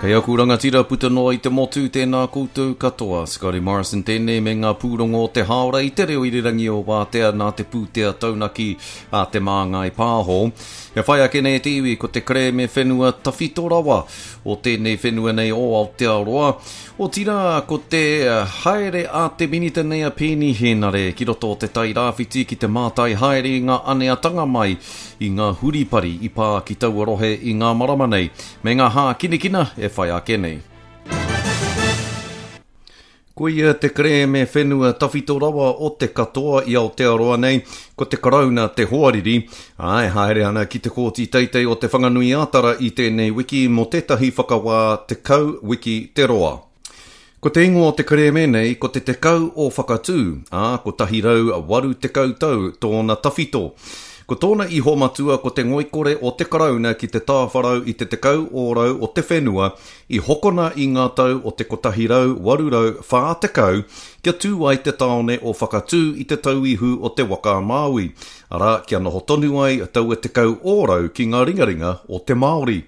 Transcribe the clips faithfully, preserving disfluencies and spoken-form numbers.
Hei aku rangatira puta noa i te motu, tēnā koutou katoa. Scotty Morrison tēnei me ngā pūrongo o te hāora i te reo irirangi o Wātea nā te pūtea taunaki a Te Māngai Pāho. E whai ake nei te iwi ko te kerēme whenua tawhito rawa o tēnei whenua nei o Aotearoa. Otirā ko te haere a te minita nei a Peeni Henare ki roto o te Tai Rāwhiti ki te mātai haere i ngā aneatanga mai i ngā huripari i pā ki taua rohe i ngā marama nei, me ngā hākinakina e whai ake nei. Koia te kerēme whenua tawhito rawa o te katoa i Aotearoa nei, ko te Karauna te hoariri, ā, e haere ana ki te Kōti Teitei o Te Whanganui-ā-Tara i tēnei wiki mō tētahi whakawā tekau wiki te roa. Ko te ingoa o te kerēme nei ko te Tekau o Whakatū, ā, kotahi rau waru tekau tau tōna tawhito. Ko tōna iho matua ko te ngoikore o te Karauna ki te tāwharau i te tekau ōrau o te whenua i hokona i ngā tau o te kotahi rau waru rau whā tekau kia tū ai te tāone o Whakatū i te tauihu o te waka a Māui, arā, kia noho tonu ai taua tekau ōrau ki ngā ringaringa o te Māori.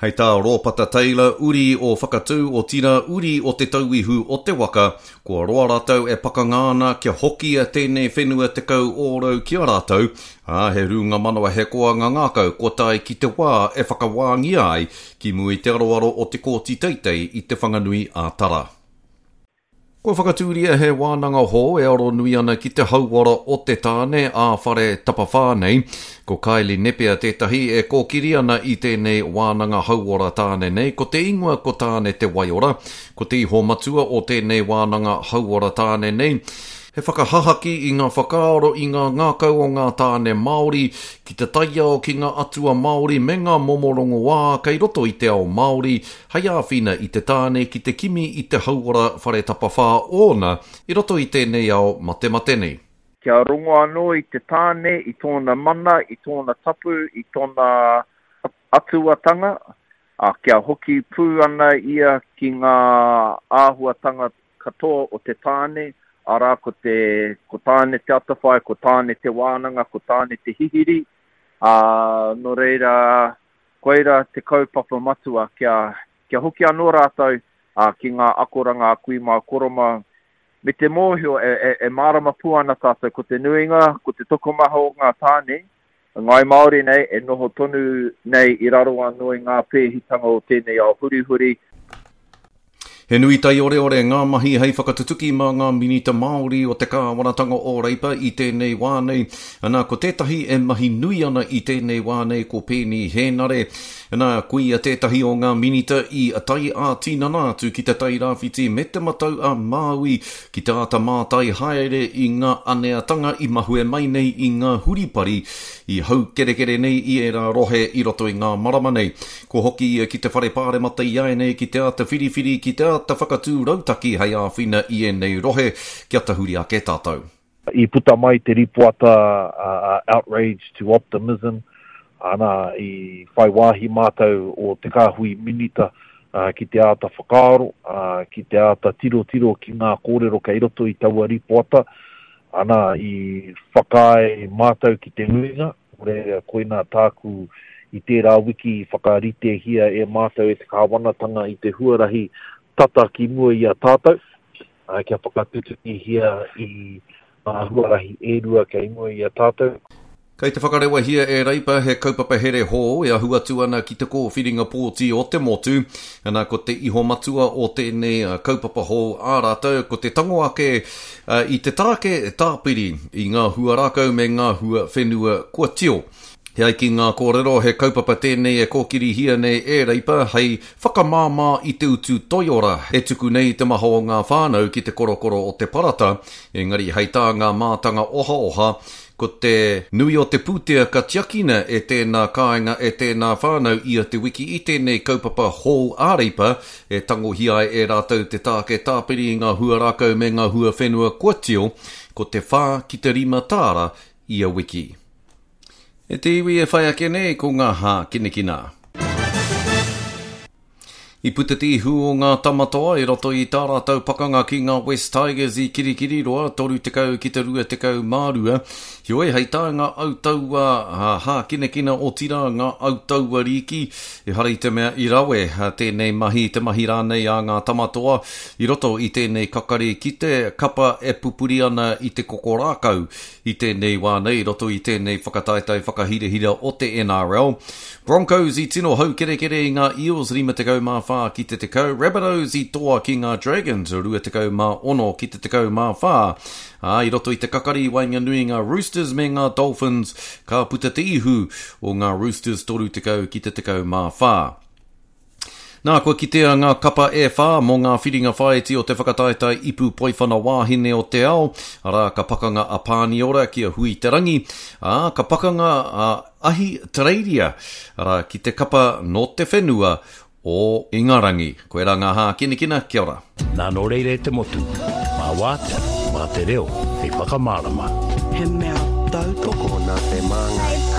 Hei tā Rōpata Taylor, uri o Whakatū, otirā uri o te tauihu o te waka, kua roa rātou e pakanga ana kia hokia tēnei whenua tekau ōrau ki a rātou, ā, he rūnga manawa he koanga ngākau kua tae ki te wā e whakawāngia ai ki mua i te aroaro o te Kōti Teitei i Te Whanganui a Tara. Kua whakatūria he wānanga hou e aro nui ana ki te hauora o te tāne ā-whare tapawhā nei. Ko Kylie Nepia tētahi e kōkiri ana i tēnei wānanga hauora tāne nei. Ko te ingoa ko Tāne Te Waiora. Ko te iho matua o tēnei wānanga hauora tāne nei, he whakahahaki i ngā whakaaro i ngā ngākau o ngā tāne Māori ki te taiao, ki ngā atua Māori me ngā momo rongoā kei roto i te ao Māori hei āwhina i te tāne ki te kimi i te hauora whare tapawhā ōna i roto i tēnei ao matemate nei. Kia rongo anō i te tāne, i tōna mana, i tōna tapu, i tōna atuatanga, ā, kia hoki pū ana ia ki ngā āhuatanga katoa o te tāne, arā ko te, ko Tāne te atawhai, ko Tāne te wānanga, ko Tāne te hihiri, ā, nō reira, koira te kaupapa matua kia, kia hoki anō rātou, ā, ki ngā akoranga a kui mā koro mā, me te mōhio e, e, e mārama pū ana tātou ko te nuinga, ko te tokomaha o ngā tāne, Ngāi Māori nei, e noho tonu nei i raro anō i ngā pēhitanga o tēnei ao hurihuri. He nui taioreore ngā mahi hei whakatutuki mā ngā minita Māori o te kāwanatanga o Reipa i tēnei wā nei. Ana, ko tētahi e mahi nui ana i tēnei wā nei ko Peeni Hēnare. Ana, ko ia tētahi o ngā minita i tae ā-tinana atu ki Te Tai Rāwhiti me Te Matau a Māui ki te āta mātai haere i ngā aneatanga i mahue mai nei i ngā huripari i haukerekere nei i ērā rohe i roto i ngā marama nei. Kua hoki ia ki te whare pāremata i āianei ki te āta whiriwhiri, ki te āta whakatū rautaki hei āwhina i ēnei rohe kia tahuri ake tātou. I puta mai te ripoata a Outrage to Optimism, ana, i whai wāhi mātou o Te Kāhui Minita ki te āta whakaaro, ki te āta tirotiro ki ngā kōrero kei roto i taua ripoata, ana, i whakaae mātou ki te nuinga, nō reira koinā tāku i tērā wiki i whakaritehia e mātou e te kāwanatanga i te huarahi tata ki mua i a tātou, kia whakatutukihia i ngā huarahi e rua kei mua i a tātou. Kei te whakarewahia e Reipa he kaupapa here hou e ahu atu ana ki te kōwhiringa pōti o te motu. Ana, ko te iho matua o tēnei kaupapa hou ā rātou, ko te tango ake i te tāke tāpiri i ngā hua rākau me ngā hua whenua kua tio. E ai ki ngā kōrero, he kaupapa tēnei e kōkirihia nei e Reipa hei whakamāmā i te utu toiora e tuku nei te maha o ngā whānau ki te korokoro o te parata, engari hei tā ngā mātanga ohaoha, ko te nui o te pūtea ka tiakina e tēnā kāinga e tēnā whānau ia te wiki i tēnei kaupapa hou a Reipa e tangohia ai e rātou te tāke tāpiri i ngā hua rākau me ngā hua whenua kua tio, ko te whā ki te rima tāra ia wiki. E te iwi e whai ake nei ko ngā hākinakina. I puta te ihu o ngā Tamatoa i roto i tā rātou pakanga ki ngā West Tigers i Kirikiriroa, toru tekau ki te rua tekau mā rua. Heoi, hei tā ngā autaua hākinakina otirā ngā autaua rīki, ehara i te mea i rawe tēnei mahi, te mahi rānei a ngā Tamatoa i roto i tēnei kakari ki te kapa e pupuri ana i te koko rākau i tēnei wā nei i roto i tēnei whakataetae whakahirahira o te N R L. Broncos i tino haukerekere i ngā Eels rima tekau mā whā ki te tekau, Rabbitohs i toa ki ngā Dragons rua tekau mā ono ki te tekau mā whā. Ā, i roto i te kakari i waenganui ngā Roosters me ngā Dolphins, ka puta te ihu o ngā Roosters toru tekau ki te tekau mā whā. Nā, kua kitea ngā kapa e whā mō ngā whiringa whāiti o te whakataetae ipu poiwhana wāhine o te ao, arā ka pakanga a Pāniora ki a Hui Te Rangi, ā, ka pakanga a Ahi Tereiria, arā ki te kapa nō te whenua o Ingarangi. Koe rā ngā hākinakina, kia ora. Nā nō reira e te motu, mā wātea, mā te reo, hei whakamārama. He mea tautoko nā te māngai.